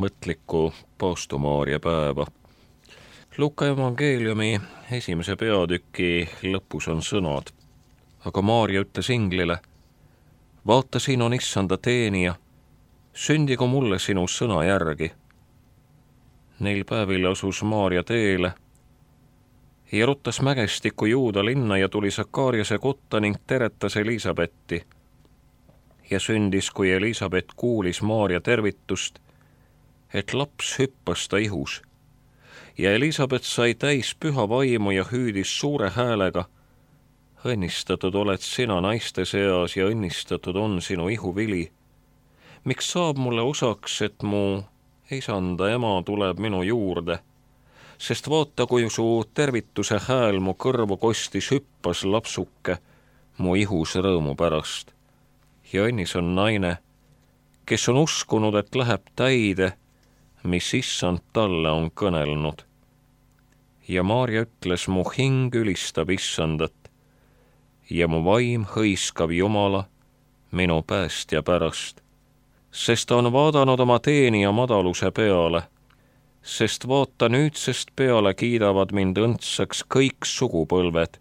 Mõtlikku paavstumaaria päeva. Luuka evangeeliumi 1. peatüki lõpus on sõnad. Aga Maaria ütles inglile, vaata, siin on issanda teenija, sündigu mulle sinu sõna järgi. Neil päevil asus Maaria teele ja ruttas mägestikku Juuda linna ja tuli Sakariase kotta ning teretas Elisabetti. Ja sündis, kui Elisabet kuulis Maaria tervitust, et laps hüppas ta ihus. Ja Elisabet sai täis püha vaimu ja hüüdis suure häälega, õnnistatud oled sina naiste seas ja õnnistatud on sinu ihuvili. Miks saab mulle osaks, et mu isanda ema tuleb minu juurde? Sest vaata, kui su tervituse hääl mu kõrvu kostis, hüppas lapsuke mu ihus rõõmu pärast. Ja õnnis on naine, kes on uskunud, et läheb täide, mis issand talle on kõnelnud. Ja Maaria ütles, mu hing ülistab issandat ja mu vaim hõiskab Jumala minu päästja pärast, sest ta on vaadanud oma teenija madaluse peale, sest vaata, nüüdsest peale kiidavad mind õndsaks kõik sugupõlved,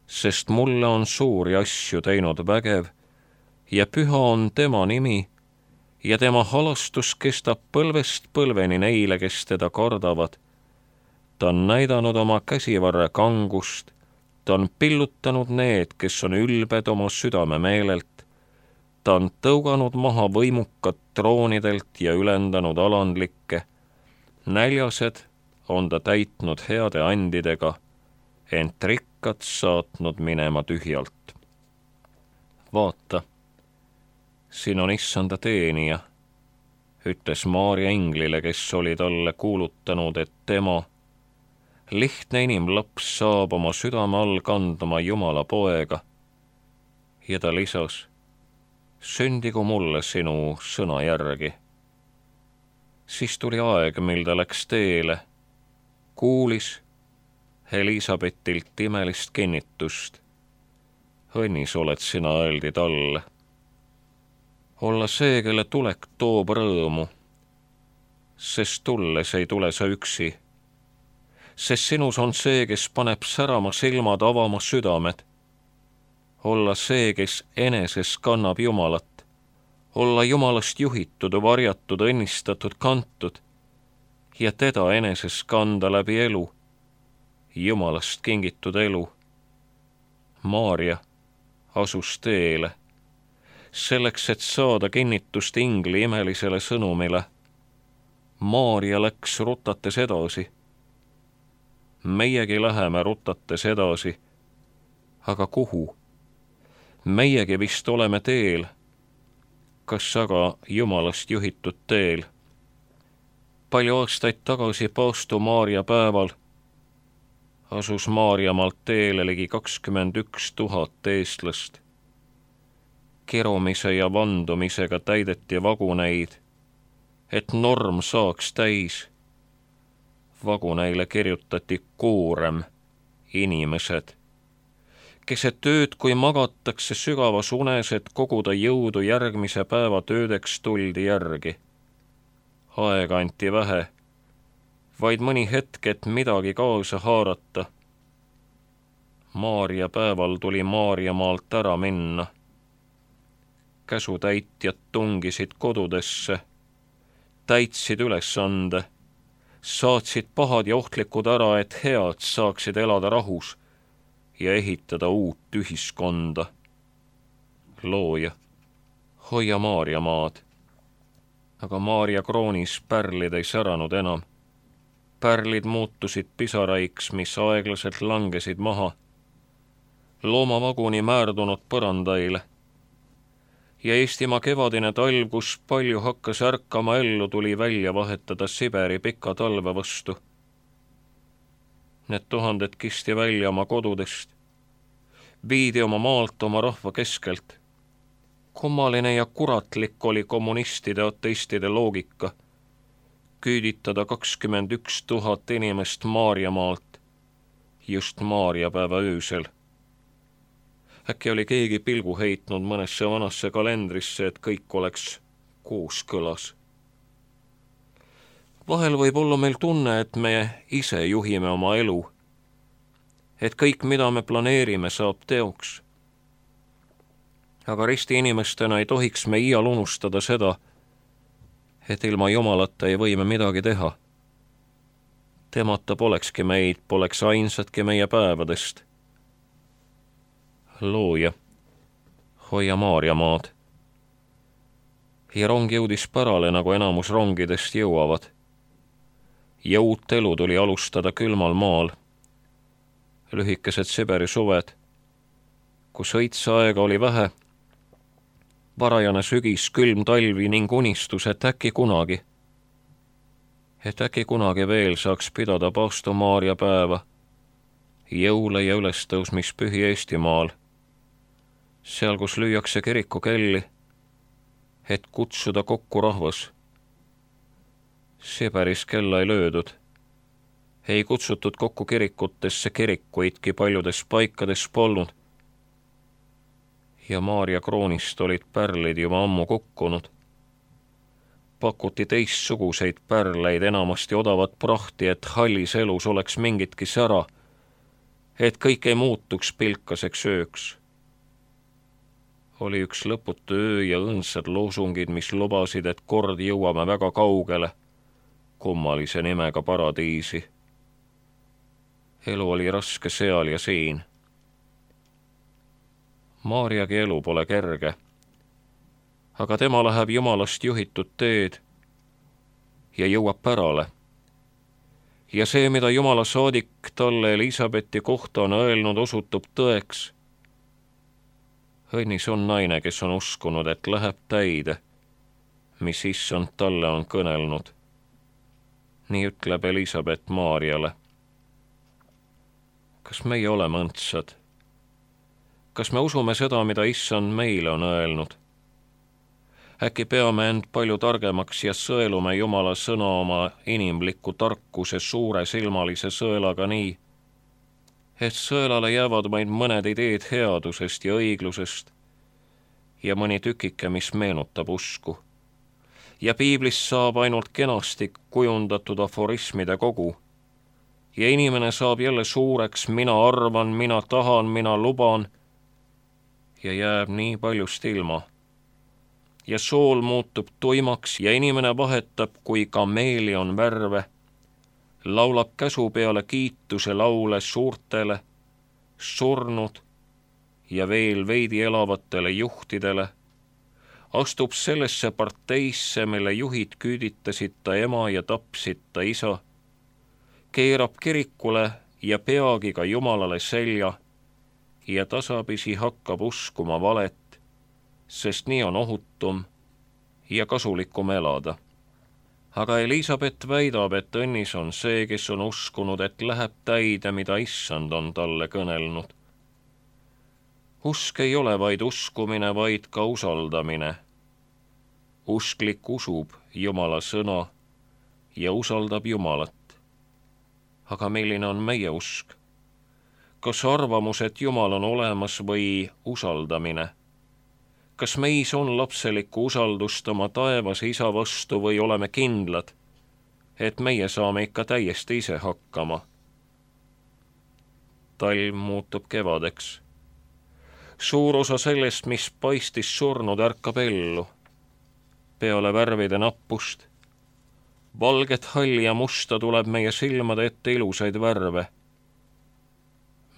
sest mulle on suuri asju teinud vägev ja püha on tema nimi ja tema halastus kestab põlvest põlveni neile, kes teda kardavad. Ta on näidanud oma käsivarre kangust, ta on pillutanud need, kes on ülbed oma südame meelelt, ta on tõuganud maha võimukad troonidelt ja ülendanud alandlikke, näljased on ta täitnud heade andidega, ent rikkad saatnud minema tühjalt. Vaata, siin on issanda teenija, ütles Maaria inglile, kes oli talle kuulutanud, et tema, lihtne inimlaps, saab oma südame all kandma Jumala poega. Ja ta lisas, sündigu mulle sinu sõna järgi. Siis tuli aeg, mil ta läks teele, kuulis Elisabetilt imelist kinnitust. Õnnis oled sina, öeldi talle. Olla see, kelle tulek toob rõõmu, sest tulles ei tule sa üksi, sest sinus on see, kes paneb särama silmad, avama südamed. Olla see, kes eneses kannab Jumalat, olla Jumalast juhitud, varjatud, õnnistatud, kantud ja teda eneses kanda läbi elu, Jumalast kingitud elu. Maaria asus teele, selleks, et saada kinnitust ingli imelisele sõnumile. Maaria läks rutates edasi. Meiegi läheme rutates edasi. Aga kuhu? Meiegi vist oleme teel. Kas aga Jumalast juhitud teel? Palju aastaid tagasi paavstumaaria päeval asus Maarjamaalt teele ligi 21 000 eestlast. Kirumise ja vandumisega täideti vaguneid, et norm saaks täis. Vaguneile kirjutati koorem, inimesed. Keset ööd, kui magatakse sügavas unes, et koguda jõudu järgmise päeva töödeks, tuldi järgi. Aega anti vähe, vaid mõni hetk, et midagi kaasa haarata. Maaria päeval tuli Maarjamaalt ära minna. Käsutäitjad tungisid kodudesse, täitsid ülesande, saatsid pahad ja ohtlikud ära, et head saaksid elada rahus ja ehitada uut ühiskonda. Looja, hoia Maaria maad. Aga Maaria kroonis pärlid ei säranud enam. Pärlid muutusid pisaraiks, mis aeglaselt langesid maha. loomavaguni määrdunud põrandaile. Ja Eestimaa kevadine talv, kus palju hakkas ärkama ellu, tuli välja vahetada Siberi pika talve vastu. Need tuhanded kisti välja oma kodudest, viidi oma maalt, oma rahva keskelt. Kummaline ja kuratlik oli kommunistide ateistide loogika küüditada 21 000 inimest Maarjamaalt just Maarjapäeva öösel. Äkki oli keegi pilgu heitnud mõnesse vanasse kalendrisse, et kõik oleks kooskõlas. Vahel võib olla meil tunne, et me ise juhime oma elu, et kõik, mida me planeerime, saab teoks. Aga risti inimestena ei tohiks me iial unustada seda, et ilma Jumalata ei või me midagi teha. Temata polekski meid, poleks ainsatki meie päevadest. Looja, hoia Maarjamaad. Ja rong jõudis pärale, nagu enamus rongidest jõuavad. Ja uut elu tuli alustada külmal maal. Lühikesed Siberi suved, kus õitseaega oli vähe, varajane sügis, külm talvi ning unistus, et äkki kunagi veel saaks pidada Paastu Maarja päeva, jõule ja ülestõusmispühi Eestimaal, seal, kus lüüakse kirikukelli, et kutsuda kokku rahvas. Siberis kella ei löödud, ei kutsutud kokku kirikutesse, kirikuidki paljudes paikades polnud. Ja Maarja kroonist olid pärlid juba ammu kukkunud. Pakuti teistsuguseid pärleid, enamasti odavat prahti, et hallis elus oleks mingitki sära, et kõik ei muutuks pilkaseks ööks. Oli üks lõputu öö ja õõnsad loosungid, mis lubasid, et kord jõuame väga kaugele, kummalise nimega paradiisi. Elu oli raske seal ja siin. Maarjagi elu pole kerge, aga tema läheb Jumalast juhitud teed ja jõuab pärale. Ja see, mida Jumala saadik talle Elisabethi kohta on öelnud, osutub tõeks. Õnnis on naine, kes on uskunud, et läheb täide, mis issand talle on kõnelnud. Nii ütleb Elisabeth Maarjale. Kas meie oleme õndsad? Kas me usume seda, mida issand meile on öelnud? Äkki peame end palju targemaks ja sõelume Jumala sõna oma inimliku tarkuse suure silmalise sõelaga nii, et sõelale jäävad vaid mõned ideed headusest ja õiglusest ja mõni tükike, mis meenutab usku. Ja piiblist saab ainult kenasti kujundatud aforismide kogu. Ja inimene saab jälle suureks, mina arvan, mina tahan, mina luban, ja jääb nii paljust ilma. Ja sool muutub tuimaks ja inimene vahetab, kui kameelion värve, laulab käsu peale kiituse laule suurtele, surnud ja veel veidi elavatele juhtidele, astub sellesse parteisse, mille juhid küüditasid ta ema ja tapsid ta isa, keerab kirikule ja peagi ka Jumalale selja ja tasapisi hakkab uskuma valet, sest nii on ohutum ja kasulikum elada. Aga Elisabeth väidab, et õnnis on see, kes on uskunud, et läheb täide, mida issand on talle kõnelnud. Usk ei ole vaid uskumine, vaid ka usaldamine. Usklik usub Jumala sõna ja usaldab Jumalat. Aga milline on meie usk? Kas arvamus, et Jumal on olemas või usaldamine? Kas meis on lapselikku usaldust oma taevas isa vastu või oleme kindlad, et meie saame ikka täiesti ise hakkama? Talv muutub kevadeks. Suur osa sellest, mis paistis surnud, ärkab ellu. Peale värvide nappust. Valget, halli ja musta tuleb meie silmade ette ilusaid värve.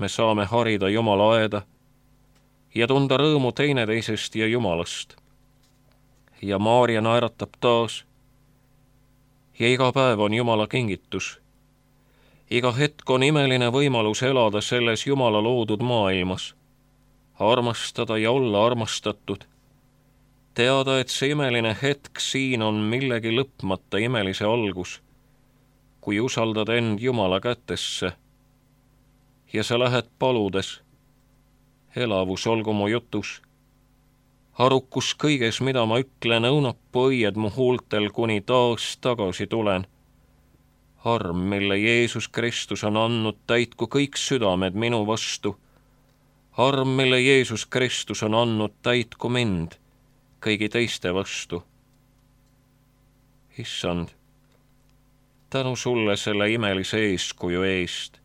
Me saame harida Jumala aeda ja tunda rõõmu teineteisest ja Jumalast. Ja Maarja naeratab taas. Ja iga päev on Jumala kingitus. Iga hetk on imeline võimalus elada selles Jumala loodud maailmas. armastada ja olla armastatud, teada, et see imeline hetk siin on millegi lõpmata imelise algus, kui usaldad end Jumala kätesse ja sa lähed paludes, elavus olgu mu jutus, arukus kõiges, mida ma ütlen, õunapuu õied mu huultel, kuni taas tagasi tulen. Arm, mille Jeesus Kristus on andnud, täitku kõik südamed minu vastu. Arm, mille Jeesus Kristus on andnud, täitku mind kõigi teiste vastu. Issand, tänu sulle selle imelise eeskuju eest,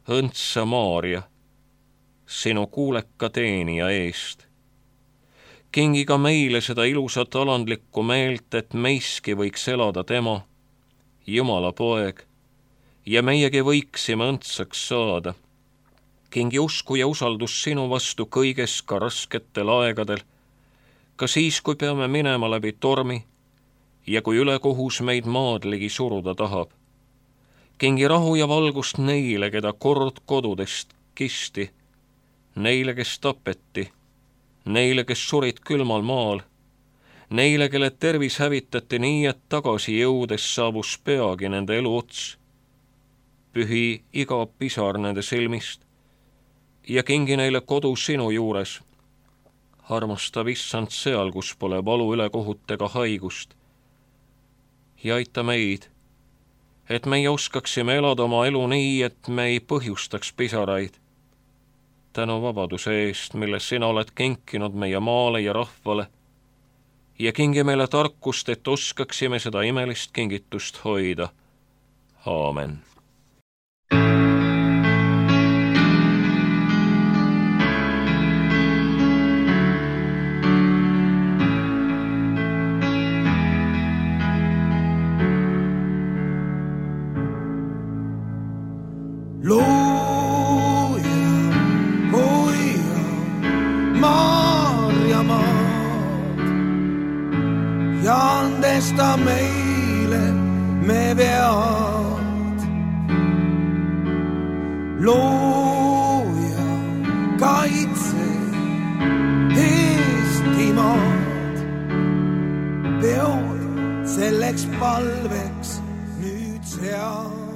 õndsa Maaria, sinu kuuleka teenija eest. Kingi ka meile seda ilusat alandlikku meelt, et meiski võiks elada tema, Jumala poeg, ja meiegi võiksime õndsaks saada. Kingi usku ja usaldus sinu vastu kõiges, ka rasketel aegadel, ka siis, kui peame minema läbi tormi ja kui ülekohus meid maad ligi suruda tahab. Kingi rahu ja valgust neile, keda kord kodudest kisti, neile, kes tapeti, neile, kes surid külmal maal, neile, kelle tervis hävitati nii, et tagasi jõudes saabus peagi nende elu ots. Pühi iga pisar nende silmist ja kingi neile kodu sinu juures. Armastab issand seal, kus pole valu, ülekohut ega haigust. Ja aita meid, et meie oskaksime elada oma elu nii, et me ei põhjustaks pisaraid. Tänu vabaduse eest, mille sina oled kinkinud meie maale ja rahvale, ja kingi meile tarkust, et oskaksime seda imelist kingitust hoida. Aamen. Ja andesta meile me vead. Looja, kaitse Eestimaad. Peod selleks palveks nüüd sead.